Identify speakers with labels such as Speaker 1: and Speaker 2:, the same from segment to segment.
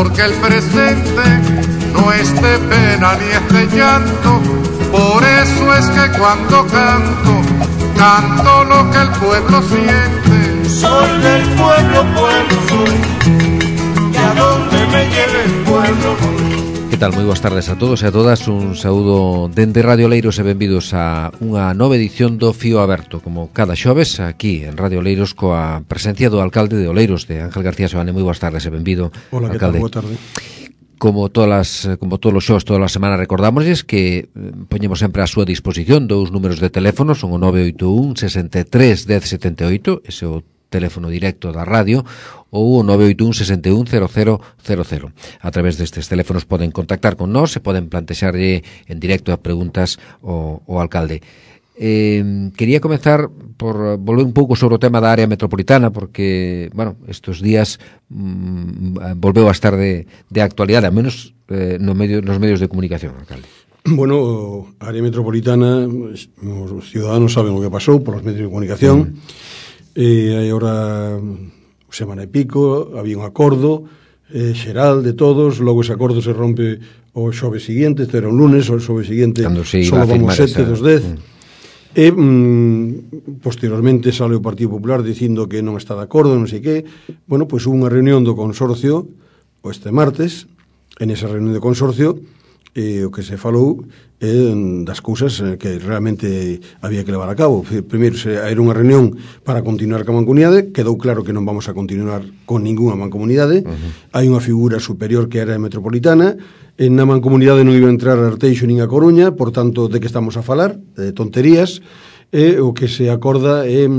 Speaker 1: porque el presente no es de pena ni es de llanto. Por eso es que cuando canto, canto lo que el pueblo siente.
Speaker 2: Soy del pueblo, pueblo soy, que a donde me lleve el pueblo voy.
Speaker 3: Que tal? Moi boas tardes a todos e a todas. Un saúdo dende Radio Oleiros e benvidos a unha nova edición do Fío Aberto, como cada xoves aquí en Radio Oleiros, coa presencia do alcalde de Oleiros, de Ángel García Soane. Moi boas tardes e benvido.
Speaker 4: Hola,
Speaker 3: alcalde.
Speaker 4: Que tal? Boa tarde.
Speaker 3: Como todos os xos, todas as semanas recordamosles que poñemos sempre a súa disposición dous números de teléfono, son o 981 63 10 78, ese é o teléfono directo da radio, ou o 981 61 0000. A través destes teléfonos poden contactar con nós e poden plantexarlle en directo a preguntas ao alcalde. Quería comenzar por volver un pouco sobre o tema da área metropolitana, porque, bueno, estes días volveu a estar de actualidade, ao menos nos medios de comunicación, alcalde.
Speaker 4: Bueno, a área metropolitana, os ciudadanos saben o que pasou por os medios de comunicación. Hai ahora semana e pico, había un acordo xeral de todos, logo ese acordo se rompe o xoves seguinte, este era un lunes, o xoves seguinte só vamos 7 dos 10. E posteriormente sale o Partido Popular dicindo que non está de acordo, non sei que. Bueno, pois hubo unha reunión do consorcio este martes. En esa reunión de consorcio o que se falou das cousas que realmente había que levar a cabo. Primeiro, era unha reunión para continuar ca mancomunidade. Quedou claro que non vamos a continuar con ninguna mancomunidade. Hai unha figura superior que era a metropolitana. En na mancomunidade non iba a entrar a Arteixo nin a Coruña, por tanto, de que estamos a falar? De tonterías. O que se acorda é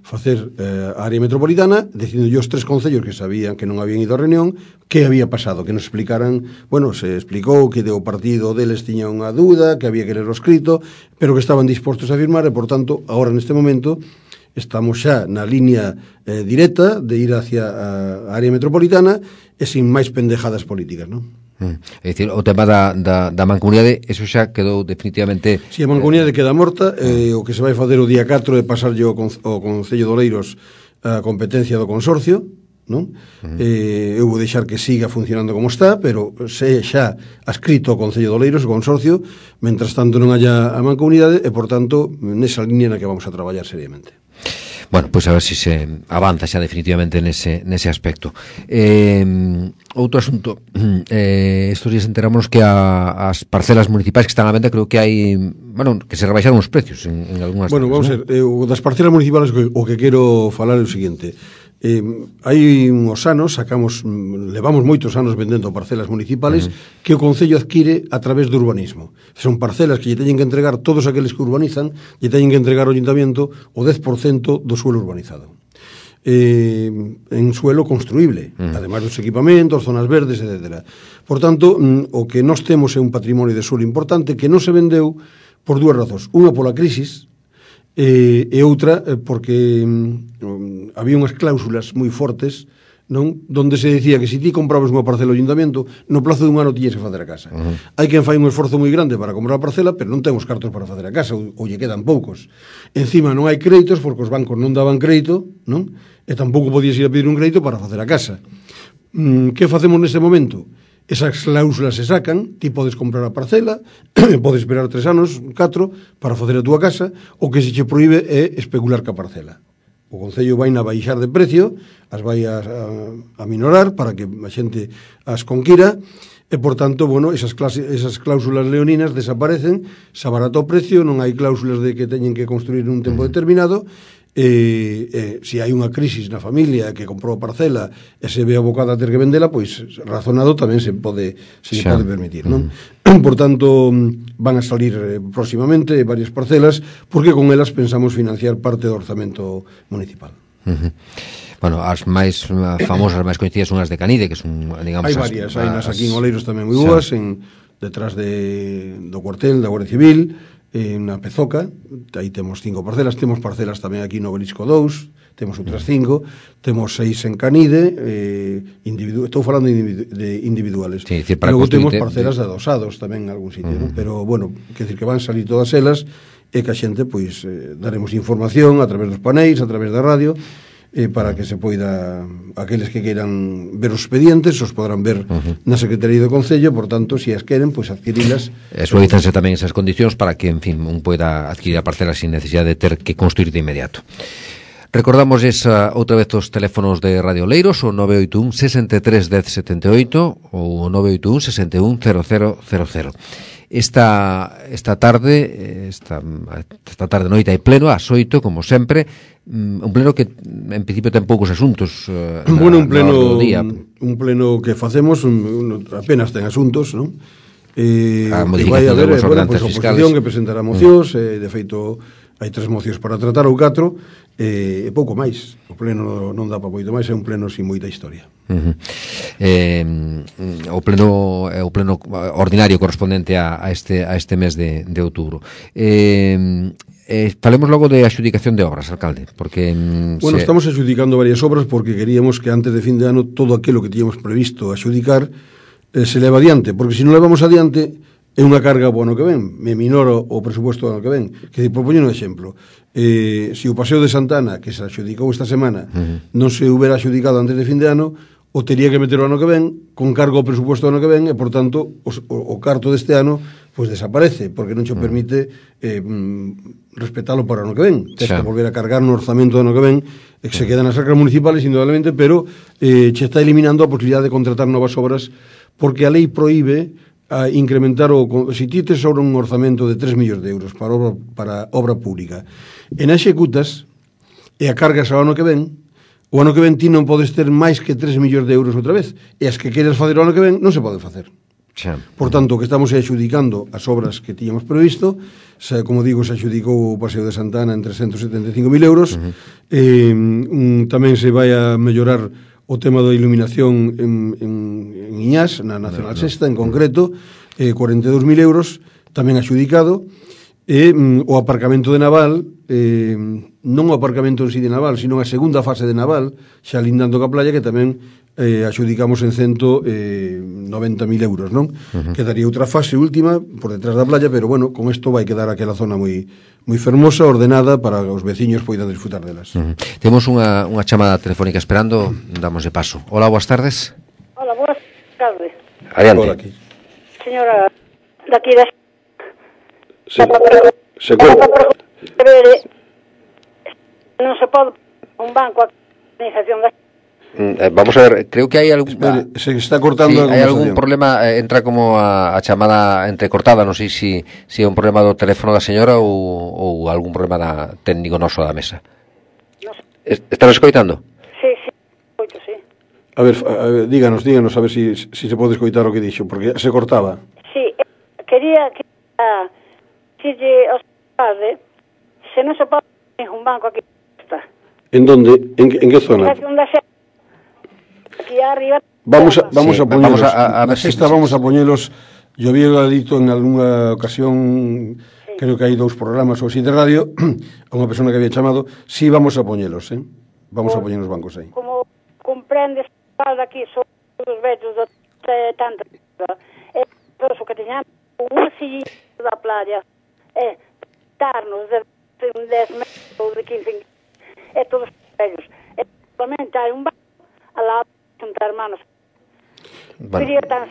Speaker 4: facer a área metropolitana, dicindo os tres concellos que sabían que non habían ido á reunión, que había pasado, que nos explicaran. Bueno, se explicou que o partido deles tiña unha dúda, que había que ler o escrito, pero que estaban dispostos a firmar e, por tanto, agora neste momento estamos xa na línea directa de ir hacia a área metropolitana e sin máis pendejadas políticas, non?
Speaker 3: É dicir, o tema da mancomunidade, eso xa quedou definitivamente...
Speaker 4: Si, a mancomunidade queda morta, o que se vai fazer o día 4 é pasarlle ao Concello de Oleiros a competencia do consorcio, non? Eu vou deixar que siga funcionando como está, pero se xa adscrito ao Concello de Oleiros, o consorcio, mentras tanto non haya a mancomunidade, e, por tanto, nesa línea na que vamos a traballar seriamente.
Speaker 3: Bueno, pois a ver se avanza xa definitivamente nese aspecto. Outro asunto, estos días enterámonos que as parcelas municipais que están á venda, creo que hai, bueno, que se rebaixaron os precios en algunhas.
Speaker 4: Bueno, vamos a ver, das parcelas municipais o que quero falar é o seguinte. Hai uns anos levamos moitos anos vendendo parcelas municipales que o Concello adquire a través do urbanismo. Son parcelas que lle teñen que entregar todos aqueles que urbanizan, lle teñen que entregar ao Ayuntamiento o 10% do suelo urbanizado, en suelo construíble, ademais dos equipamentos, zonas verdes, etc. Por tanto, o que nós temos é un patrimonio de suelo importante que non se vendeu por dúas razóns. Unha, pola crisis, e outra porque había unhas cláusulas moi fortes, non, donde se decía que se ti comprabas unha parcela ao Ayuntamiento, no plazo dun ano tiñes que facer a casa. Hai quen fai un esforzo moi grande para comprar a parcela, pero non ten os cartos para facer a casa, ou lle quedan poucos. Encima non hai créditos porque os bancos non daban crédito, non? E tampouco podías ir a pedir un crédito para facer a casa. Que facemos neste momento? Esas cláusulas se sacan, ti podes comprar a parcela, podes esperar 3 anos, 4, para facer a túa casa. O que se che proíbe é especular ca parcela. O Concello vai na baixar de precio, as vai a minorar para que a xente as conquira, e, por tanto, bueno, esas cláusulas leoninas desaparecen, se abarata o precio, non hai cláusulas de que teñen que construir un tempo determinado. Se hai unha crisis na familia que comprou a parcela e se ve abocada a ter que vendela, pois razonado tamén se pode permitir, non? Por tanto, van a salir próximamente varias parcelas, porque con elas pensamos financiar parte do orzamento municipal.
Speaker 3: Bueno, as máis famosas, máis coñecidas son as de Canide, que son, digamos...
Speaker 4: Hai varias, hai nas aquí en Oleiros tamén moi boas, detrás do cuartel da Guardia Civil, na Pezoca, aí temos 5 parcelas, temos parcelas tamén aquí no Belisco 2, temos outras 5, temos 6 en Canide, estou falando de individuales.
Speaker 3: Sí, decir,
Speaker 4: logo temos parcelas de adosados tamén en algún sitio, ¿no? Pero, bueno, quer decir que van salir todas elas e que a xente, pois, daremos información a través dos paneis, a través da radio, para que se poida, aqueles que queiran ver os expedientes os podrán ver na Secretaría do Concello, por tanto, se as queren, pois adquirilas.
Speaker 3: Suavizanse tamén esas condicións para que, en fin, un poida adquirir a parcela sin necesidade de ter que construir de inmediato. Recordamos outra vez os teléfonos de Radio Oleiros, o 981 63 10 78 ou o 981 61 0000. Esta tarde noite hai pleno ás 8, como sempre, un pleno que en principio ten poucos asuntos
Speaker 4: un pleno que facemos apenas ten asuntos, non?
Speaker 3: A modificación de algunas ordenanzas fiscales,
Speaker 4: que presentará mocións, de feito hai 3 mocións para tratar ou 4, e pouco máis. O pleno non dá para moito máis, é un pleno sin moita historia.
Speaker 3: O pleno ordinario correspondente a este mes de outubro. Falemos logo de adxudicación de obras, alcalde, porque
Speaker 4: estamos adxudicando varias obras porque queríamos que antes de fin de ano todo aquilo que tiñamos previsto adxudicar se leva adiante, porque se non levamos adiante é unha carga po ano que ven, me minoro o presupuesto do ano que ven. Que propoño un exemplo, se o Paseo de Santana, que se adxudicou esta semana, non se houbera adxudicado antes de fin de ano, o tería que meter o ano que ven con cargo ao presupuesto do ano que ven, e por tanto o carto deste ano pois desaparece, porque non che permite respetalo para o ano que ven. Tens que volver a cargar no orzamento do ano que ven, e que se quedan nas arcas municipales indudablemente, pero che está eliminando a posibilidade de contratar novas obras, porque a lei proíbe a incrementar se ti tes sobre un orzamento de 3 millóns de euros para obra pública e na executas e a cargas ao ano que ven, o ano que ven ti non podes ter máis que 3 millóns de euros outra vez, e as que queres facer o ano que ven non se pode facer. Por tanto, que estamos adxudicando as obras que tiñamos previsto, como digo, se adxudicou o Paseo de Santana en 375.000 euros, tamén se vai a mellorar o tema da iluminación en Iñás, na Nacional Sexta, en concreto, 42.000 euros, tamén adxudicado, e o aparcamento de Naval, non o aparcamento en sí de Naval, sino a segunda fase de Naval, xa lindando ca playa, que tamén adxudicamos en 190.000 euros, non? Quedaría outra fase última por detrás da playa, pero bueno, con isto vai quedar aquela zona moi fermosa, ordenada, para que os veciños poidan disfrutar delas.
Speaker 3: Temos unha chamada telefónica esperando, damos de paso. Hola, boas tardes.
Speaker 5: Hola, boas tardes.
Speaker 3: Adiante.
Speaker 4: Hola, aquí.
Speaker 5: Señora, daqui da...
Speaker 4: Se
Speaker 5: non se pode un banco a organización da...
Speaker 3: Vamos a ver, creo que hai algún...
Speaker 4: Espere, se está cortando...
Speaker 3: Sí, hai algún problema, entra como a chamada entrecortada, non sei se é un problema do teléfono da señora ou algún problema técnico noso da mesa.
Speaker 5: No sé.
Speaker 3: Están escoitando?
Speaker 5: Sí, sí.
Speaker 4: A ver, díganos, a ver se se pode escoitar o que dixo, porque se cortaba.
Speaker 5: Sí, quería dicirlle aos padres se non se pode un banco aquí está.
Speaker 4: En donde? En que zona?
Speaker 5: Aquí arriba.
Speaker 4: Vamos a poñelos.
Speaker 3: A ver
Speaker 4: si vamos a poñelos. Yo había dito en algunha ocasión, creo que hai 2 programas ou así de radio, a unha persona que había chamado, sí vamos a poñelos, vamos a poñer os bancos aí.
Speaker 5: Como comprendes, aquí son os vellos de tanta o que teñamos unha silla da playa, darnos de 10 metros ou de 15 todos os vellos. Solamente hai un banco al lado juntar manos. Sería tan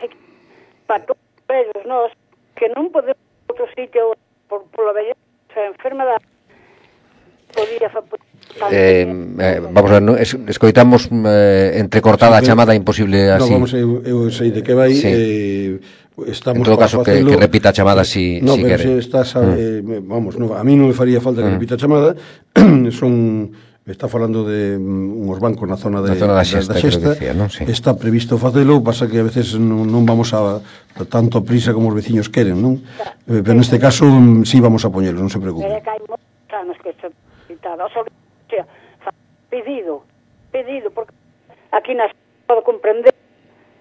Speaker 5: para todos os vellos nós que non podemos outro sitio pola velleza enfermedade podía
Speaker 3: vamos a ver, escoitamos entrecortada a chamada, imposible así.
Speaker 4: No, vamos, eu sei de que vai, estamos,
Speaker 3: en todo caso que repita a chamada si quere.
Speaker 4: Se estás vamos, a mí non me faría falta que repita a chamada. Está falando de uns bancos na zona da Xesta,
Speaker 3: ¿no? Sí.
Speaker 4: Está previsto facelo, pasa que a veces non vamos a tanto prisa como os veciños queren, non? Pero neste caso sí vamos a poñelo, non se preocupe.
Speaker 5: Pero que hai moitos anos que se citado, pedido, porque aquí nas pode comprender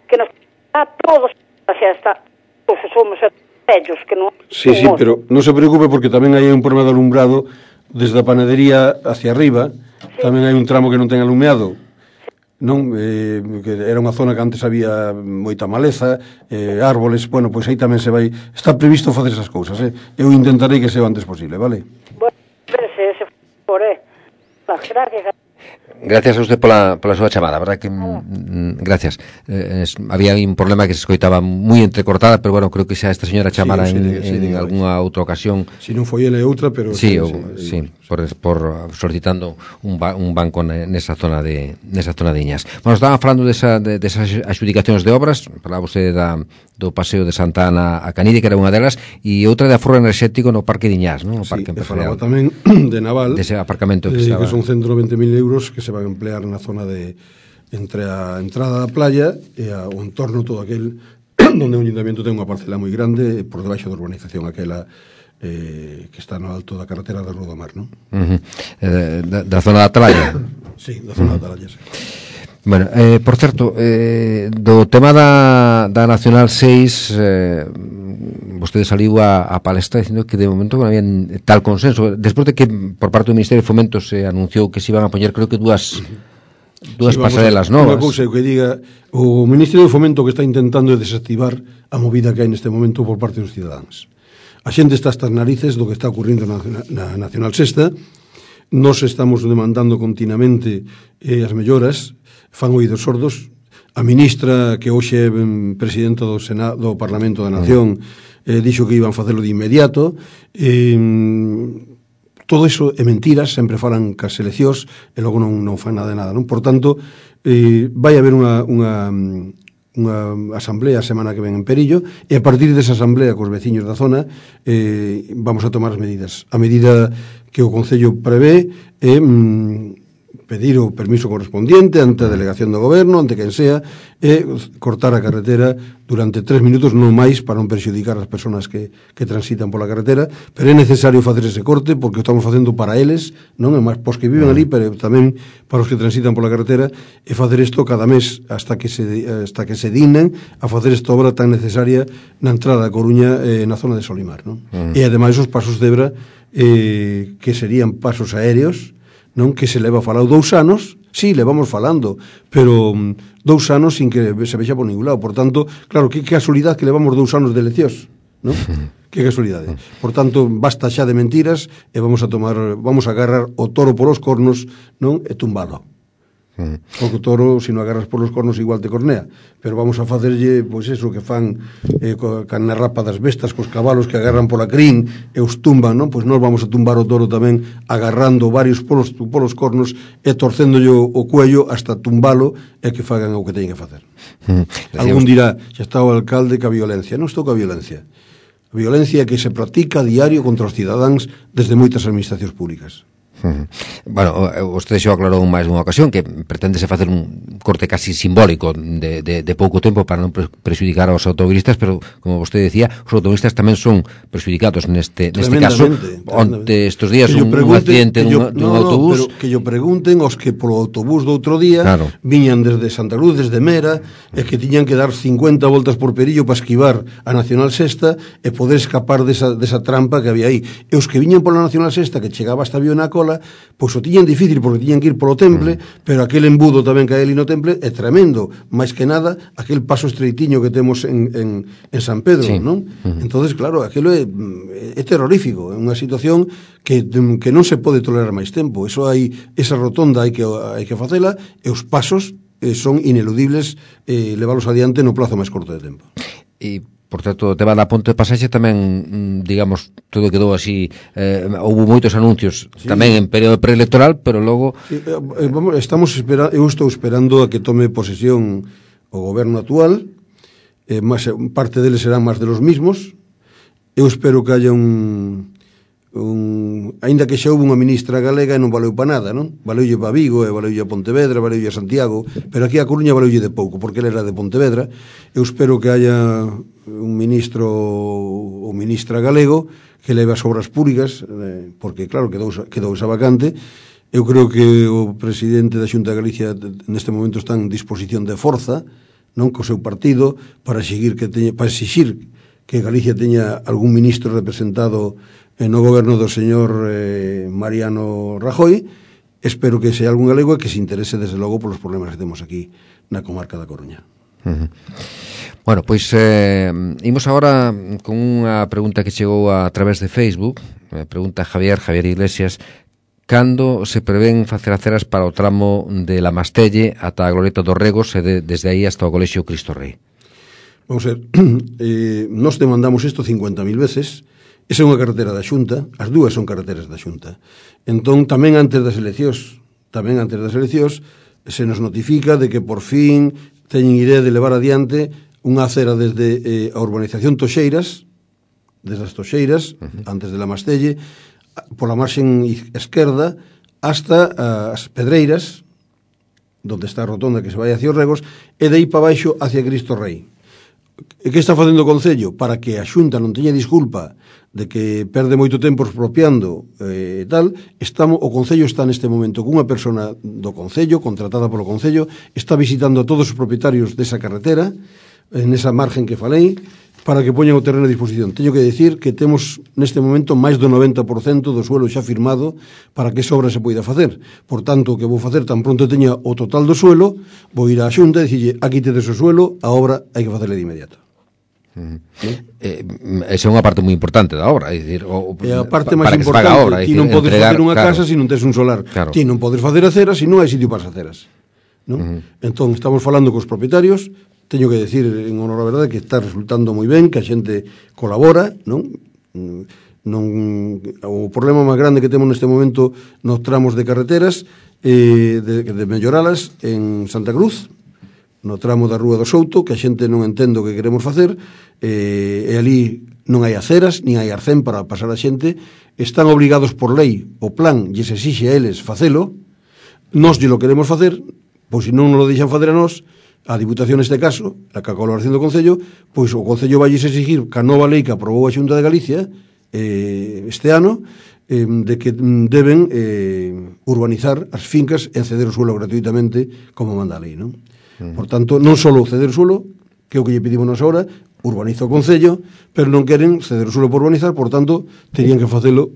Speaker 5: que nos a todos a Xesta, pois somos vellos que non...
Speaker 4: Sí, pero non se preocupe porque tamén hai un problema de alumbrado desde a panadería hacia arriba. Tamén hai un tramo que non ten alumeado, non? Que era unha zona que antes había moita maleza, árboles, bueno, pois aí tamén se vai, está previsto facer esas cousas, eu intentarei que sea o antes posible, vale?
Speaker 5: Bueno, se por gracias.
Speaker 3: Gracias a usted pola súa chamada, verdad que gracias. Había un problema que se escoitaba moi entrecortada, pero bueno, creo que xa esta señora chamara en algunha outra ocasión.
Speaker 4: Si non foi ele outra, pero
Speaker 3: sí, por solicitando un banco nesa zona de Iñas. Bueno, estaban falando desas adjudicacións de obras, falaba usted do paseo de Santa Ana a Canide, que era unha delas, e outra de aforro enerxético no Parque de Iñas, non? O Parque
Speaker 4: Empresarial. Falaba tamén de Naval,
Speaker 3: dese aparcamento que
Speaker 4: son 120.000 euros que se van a emplear na zona entre a entrada da playa e o entorno todo aquel onde o ayuntamiento ten unha parcela moi grande por debaixo da urbanización aquela que está no alto da carretera de Rodomar, non?
Speaker 3: Da zona da Atalaya.
Speaker 4: Sí, da zona da Atalaya, sí.
Speaker 3: Bueno, por certo, do tema da Nacional 6, vostede saliu a palestra dicindo que de momento non había tal consenso, despois de que por parte do Ministerio de Fomento se anunciou que se iban a poñer, creo que dúas pasarelas novas.
Speaker 4: Unha cousa que diga, o Ministerio de Fomento que está intentando desactivar a movida que hai neste momento por parte dos cidadáns. A xente está hasta as narices do que está ocurrindo na Nacional 6. Nos estamos demandando continuamente as melloras, fan oídos sordos. A ministra, que hoxe é presidenta do Parlamento da Nación, dixo que iban facelo de inmediato. Todo iso é mentiras, sempre falan cas eleccións e logo non fan nada de nada, non? Por tanto, vai haber unha asamblea a semana que ven en Perillo e a partir desa asamblea cos veciños da zona vamos a tomar as medidas. A medida que o Concello prevé é pedir o permiso correspondiente ante a delegación do goberno, ante quen sea, e cortar a carretera durante 3 minutos, non máis, para non perxudicar as persoas que transitan pola carretera, pero é necesario facer ese corte porque o estamos facendo para eles, non é máis pos que viven ali, pero tamén para os que transitan pola carretera, e facer isto cada mes hasta que se dignen a facer esta obra tan necesaria na entrada da Coruña na zona de Solimar, non? E ademais os pasos de Ebra que serían pasos aéreos, non, que se leva falado 2 anos, sí, levamos falando, pero 2 anos sin que se vexa por ningún lado. Por tanto, claro, que casualidade que levamos 2 anos de eleccións, non? Que casualidade. Por tanto, basta xa de mentiras e vamos a agarrar o toro polos cornos, non, e tumbalo. Porque o toro, se non agarras polos cornos, igual te cornea. Pero vamos a facerlle, pois eso, que fan na rapa das bestas, cos cabalos que agarran pola crin e os tumban, non? Pois nós vamos a tumbar o toro tamén agarrando varios polos cornos e torcéndolle o cuello hasta tumbalo e que fagan o que teñen que facer. Algún dirá, xa está o alcalde ca violencia. Non estou ca violencia. A violencia que se practica a diario contra os cidadáns desde moitas administracións públicas.
Speaker 3: Bueno, vostede xa aclarou máis dunha ocasión que pretendese facer un corte casi simbólico de pouco tempo para non prexudicar aos automobilistas, pero como vostede decía, os automobilistas tamén son prexudicados neste caso. Onte estes días un accidente dun autobús,
Speaker 4: pero que yo pregunten aos que polo autobús do outro día viñan desde Santa Cruz, desde Mera, e que tiñan que dar 50 voltas por Perillo para esquivar a Nacional 6 e poder escapar desa trampa que había aí. E os que viñan pola Nacional 6 que chegaba hasta Viona Cola, pois o tiñan difícil porque tiñan que ir polo Temple, pero aquel embudo tamén que hai ali no Temple é tremendo, máis que nada aquel paso estreitiño que temos en San Pedro, non? Entonces, claro, aquilo é terrorífico, é unha situación que non se pode tolerar máis tempo. Eso hai, esa rotonda hai que facela e os pasos son ineludibles leválos adiante no plazo máis corto de tempo.
Speaker 3: E por certo, o tema da ponte de pasaxe tamén, digamos, todo quedou así, houve moitos anuncios tamén en período preelectoral, pero logo
Speaker 4: eu estou esperando a que tome posesión o goberno actual, parte deles serán máis de los mismos. Eu espero que haya aínda que xa houve unha ministra galega e non valeu para nada, non? Valeulle para Vigo, e valeulle a Pontevedra, valeulle a Santiago, pero aquí a Coruña valeulle de pouco, porque ele era de Pontevedra. Eu espero que haya un ministro ou ministra galego que leve as obras públicas, porque claro, quedou esa vacante. Eu creo que o presidente da Xunta de Galicia neste momento está en disposición de forza, non, co seu partido, para exigir que Galicia teña algún ministro representado no goberno do señor Mariano Rajoy. Espero que sea algún galego e que se interese desde logo polos problemas que temos aquí na comarca da Coruña.
Speaker 3: Bueno, pois imos agora con unha pregunta que chegou a través de Facebook. Pregunta Javier Iglesias, cando se prevén facer aceras para o tramo de La Mastelle ata a Glorieta dos Regos e desde aí hasta o Colexio Cristo Rei?
Speaker 4: Vamos a ver, nós demandamos isto 50.000 veces. Esa é unha carretera da Xunta, as dúas son carreteras da Xunta. Entón, tamén antes das eleccións, se nos notifica de que por fin teñen idea de levar adiante unha acera desde a urbanización Toxeiras, desde as Toxeiras, antes de La Mastelle, pola marxen esquerda, hasta as Pedreiras, donde está a rotonda que se vai hacia os Regos, e de aí para baixo hacia Cristo Rei. E que está facendo o Concello? Para que a Xunta non teña disculpa de que perde moito tempo expropiando tal, o Concello está neste momento cunha persona do Concello, contratada polo Concello, está visitando a todos os propietarios desa carretera, en esa margen que falei, para que poñan o terreno a disposición. Teño que decir que temos neste momento máis do 90% do suelo xa firmado para que esa obra se poida facer. Por tanto, o que vou facer tan pronto teña o total do suelo, vou ir á Xunta e dicirlle, aquí tedes o suelo, a obra hai que facerle de inmediato.
Speaker 3: Esa é unha parte moi importante da obra, é dicir,
Speaker 4: é a parte máis importante. Ti non podes facer unha casa se non tes un solar, ti non podes facer aceras se non hai sitio para as aceras, non? Entón, estamos falando cos propietarios. Teño que decir, en honor a verdade, que está resultando moi ben, que a xente colabora, non? O problema máis grande que temos neste momento nos tramos de carreteras, de melloralas en Santa Cruz, no tramo da Rúa do Souto, que a xente non entende o que queremos facer, e ali non hai aceras, nin hai arcén para pasar a xente, están obrigados por lei, o plan lles exixe a eles facelo, nós lle lo queremos facer, pois se non nos lo deixan facer a nós, a Diputación neste caso, a colaboración do Concello, pois o Concello vai exigir que a nova lei que aprobou a Xunta de Galicia este ano, de que deben urbanizar as fincas e ceder o suelo gratuitamente como manda a lei, non? Por tanto, non só ceder o suelo, que é o que lle pedimos nos ahora, urbaniza o Concello, pero non queren ceder o suelo por urbanizar, por tanto, terían que facelo,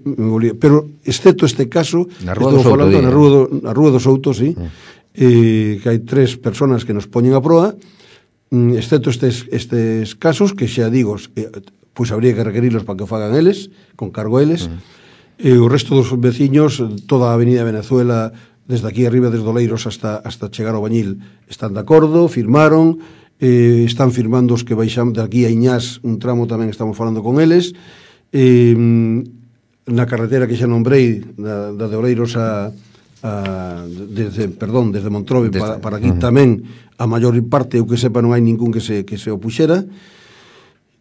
Speaker 4: pero excepto este caso,
Speaker 3: na Rúa do Souto,
Speaker 4: na Rúa do Souto, sí, que hai 3 personas que nos poñen a proa, excepto estes casos, que xa digo, pois habría que requerirlos para que o fagan eles, con cargo a eles, e o resto dos veciños, toda a Avenida Venezuela, desde aquí arriba, desde Oleiros hasta chegar ao Bañil, están de acordo, firmaron, están firmando os que baixan de aquí a Iñás, un tramo tamén estamos falando con eles, na carretera que xa nombrei, da de Oleiros desde Montrove para aquí tamén a maior parte, o que sepa, non hai ningún que se opuxera.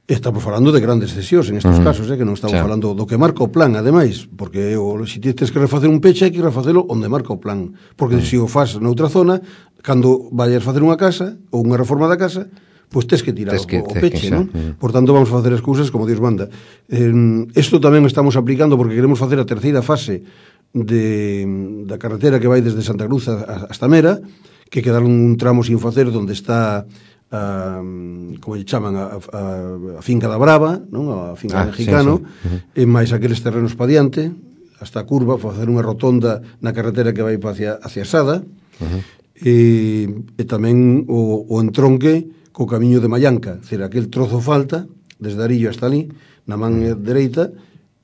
Speaker 4: Estamos falando de grandes cesións en estes casos, que non estamos falando do que marca o plan, ademais, porque se tens que refacer un peche, hai que refacelo onde marca o plan, porque se o faz noutra zona, cando vayas facer unha casa ou unha reforma da casa, pois tes que tirar o peche, non? Por tanto, vamos a facer as cousas como Dios manda. Isto tamén estamos aplicando porque queremos facer a terceira fase da carretera que vai desde Santa Cruz hasta Mera, que quedaron un tramo sin facer onde está como lle chaman a finca da Brava, non? A finca mexicano, e máis aqueles terrenos pa diante, hasta a curva, facer unha rotonda na carretera que vai hacia Sada, e tamén o entronque co camiño de Mallanca, decir, aquel trozo falta desde Arillo hasta ali, na man dereita,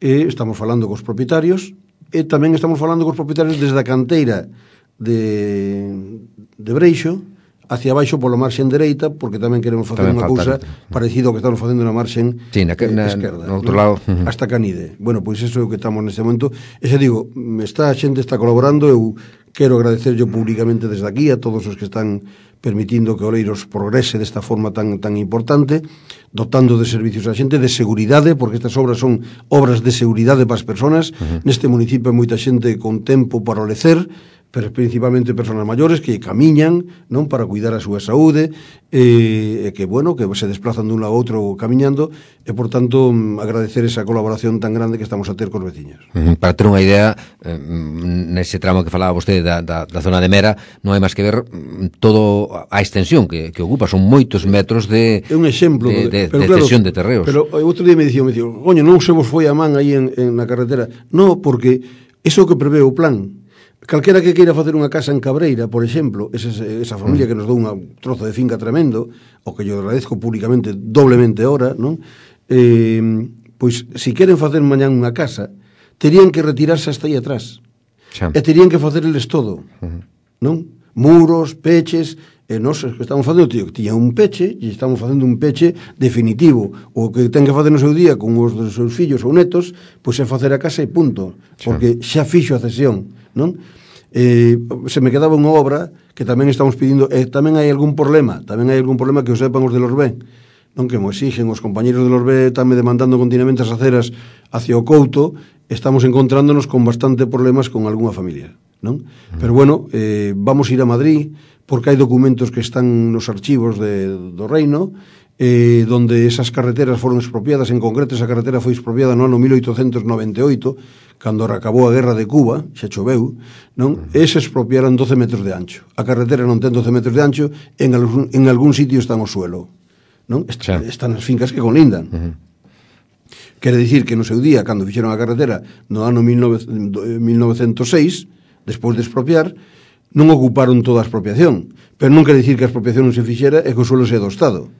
Speaker 4: e estamos falando cos propietarios, e tamén estamos falando cos propietarios desde a canteira de Breixo hacia baixo pola marxen dereita, porque tamén queremos facer unha cousa parecido ao que estamos facendo na marxen esquerda,
Speaker 3: no outro lado,
Speaker 4: hasta Canide. Bueno, pois iso é o que estamos neste momento. E xa digo, a xente está colaborando, eu quero agradecer yo públicamente desde aquí a todos os que están permitindo que Oleiros progrese desta forma tan importante, dotando de servicios a xente, de seguridade, porque estas obras son obras de seguridade para as persoas. Neste municipio hai moita xente con tempo para o lecer, pero principalmente persoas maiores que camiñan, non, para cuidar a súa saúde, e que, bueno, que se desplazan dun lado a outro camiñando, e, por tanto, agradecer esa colaboración tan grande que estamos a ter cos veciños.
Speaker 3: Para ter unha idea, nese tramo que falaba vostede da zona de Mera, non hai máis que ver todo a extensión que ocupa, son moitos metros de
Speaker 4: un exemplo
Speaker 3: de cesión de terreos.
Speaker 4: Pero outro día me dixo, coño, non se vos foi a man aí na carretera. Non, porque iso que prevé o plan. Calquera que queira facer unha casa en Cabreira, por exemplo, esa familia que nos dou un trozo de finca tremendo, o que yo agradezco públicamente doblemente ahora, non? Pois, se queren facer mañán unha casa, terían que retirarse hasta aí atrás. e terían que facer eles todo, non? Muros, peches, e nós que estamos facendo, tío, que tiña un peche, e estamos facendo un peche definitivo. O que ten que facer no seu día con os dos seus fillos ou netos, pois é facer a casa e punto, porque xa fixo a cesión, non? Se me quedaba unha obra que tamén estamos pedindo, e tamén hai algún problema que o sepan os de los B, non, que mo exigen os compañeros de los B, están me demandando continuamente as aceras hacia o Couto, estamos encontrándonos con bastante problemas con algunha familia, non? Pero bueno, vamos ir a Madrid, porque hai documentos que están nos archivos do Reino, donde esas carreteras foron expropiadas. En concreto, esa carretera foi expropiada no ano 1898, cando acabou a guerra de Cuba, xa choveu, non? E se expropiaran 12 metros de ancho. A carretera non ten 12 metros de ancho, en algún sitio está no suelo, non? Están as fincas que conlindan. Quere dicir que no seu día, cando fixeron a carretera no ano 1906, despois de expropiar, non ocuparon toda a expropiación, pero non quere dicir que a expropiación non se fixera e que o suelo sea do Estado.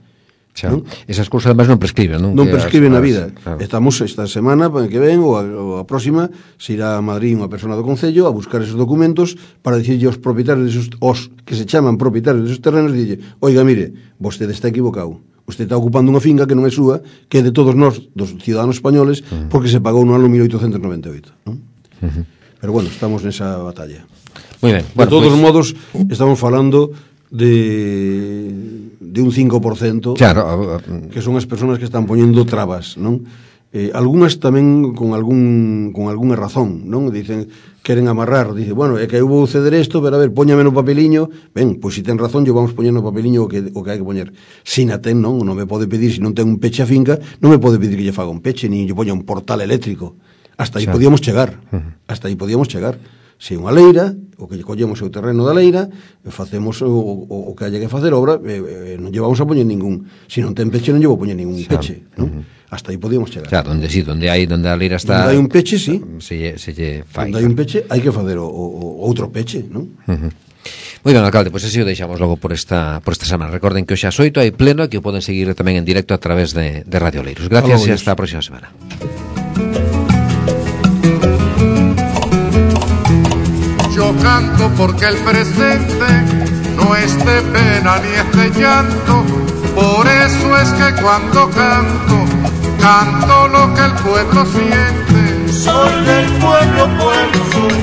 Speaker 3: ¿No? Esas cousas además non prescriben, non?
Speaker 4: Non prescriben na vida. Claro. Estamos esta semana que ven ou a próxima, se irá a Madrid unha persona do Concello a buscar esos documentos para dicirlle aos propietarios os que se chaman propietarios desos terrenos, dille, oiga, mire, vostede está equivocado. Usted está ocupando unha finca que non é súa, que é de todos nós, dos ciudadanos españoles, porque se pagou no ano 1898, non? Pero bueno, estamos nesa batalla.
Speaker 3: Muy ben.
Speaker 4: Bueno, de todos modos, estamos falando de un 5%, claro, que son as persoas que están poñendo trabas, non? Algúnas tamén con algunha razón, non? Dicen, queren amarrar, dice, bueno, é que eu vou ceder isto, pero a ver, póñame no papeliño. Ben, pois se ten razón, yo vamos poñer no papeliño o que hai que poñer. Se na ten, non me pode pedir, se non ten un peche a finca, non me pode pedir que lle faga un peche, nin lle poña un portal eléctrico. Hasta aí podíamos chegar. Se unha leira, o que lle collemos o terreno da leira, facemos o que haya que facer obra, non llevamos a poñer ningún, se non ten peche non llevo a poñer ningún peche, non? Hasta aí podíamos chegar.
Speaker 3: Claro, onde a leira está,
Speaker 4: onde hai un peche, sí,
Speaker 3: se lle fai.
Speaker 4: Onde hai un peche, hai que facer o outro peche, non?
Speaker 3: Moi ben, alcalde, pois así o deixamos logo por esta semana. Recorden que hoxe ás 8 hai pleno e que o poden seguir tamén en directo a través de Radio Oleiros. Gracias e hasta a próxima semana.
Speaker 1: Yo canto porque el presente no es de pena ni es de llanto, por eso es que cuando canto lo que el pueblo siente.
Speaker 2: Soy del pueblo, soy